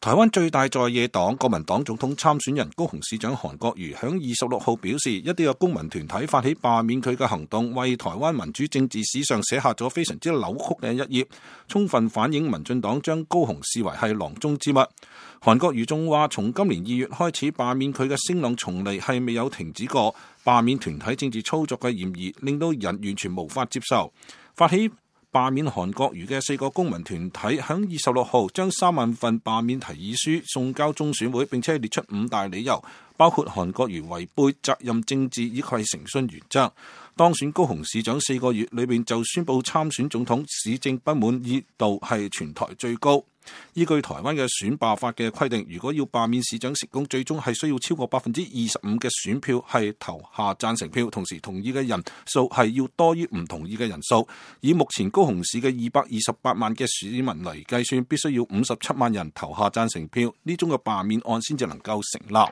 台灣最大在野黨國民黨總統參選人高雄市長韓國瑜響26號表示，一啲嘅公民團體發起罷免佢嘅行動，為台灣民主政治史上寫下咗非常之扭曲嘅一頁，充分反映民進黨將高雄視為係囊中之物。韓國瑜仲話，從今年2月開始罷免佢嘅聲浪從嚟係未有停止過，罷免團體政治操作嘅嫌疑令到人完全無法接受。發起罷免韓國瑜嘅4個公民團體響26號將3萬份罷免提議書送交中選會，並且列出5大理由，包括韓國瑜違背責任政治以及誠信原則。當選高雄市長4個月裏面就宣布參選總統，市政不滿意度係全台最高。依據台灣嘅選罷法嘅規定，如果要罷免市長成功，最終係需要超過25%嘅選票係投下贊成票，同時同意嘅人數係要多於唔同意嘅人數。以目前高雄市嘅228萬嘅市民嚟計算，必須要57萬人投下贊成票，呢種嘅罷免案先至能夠成立。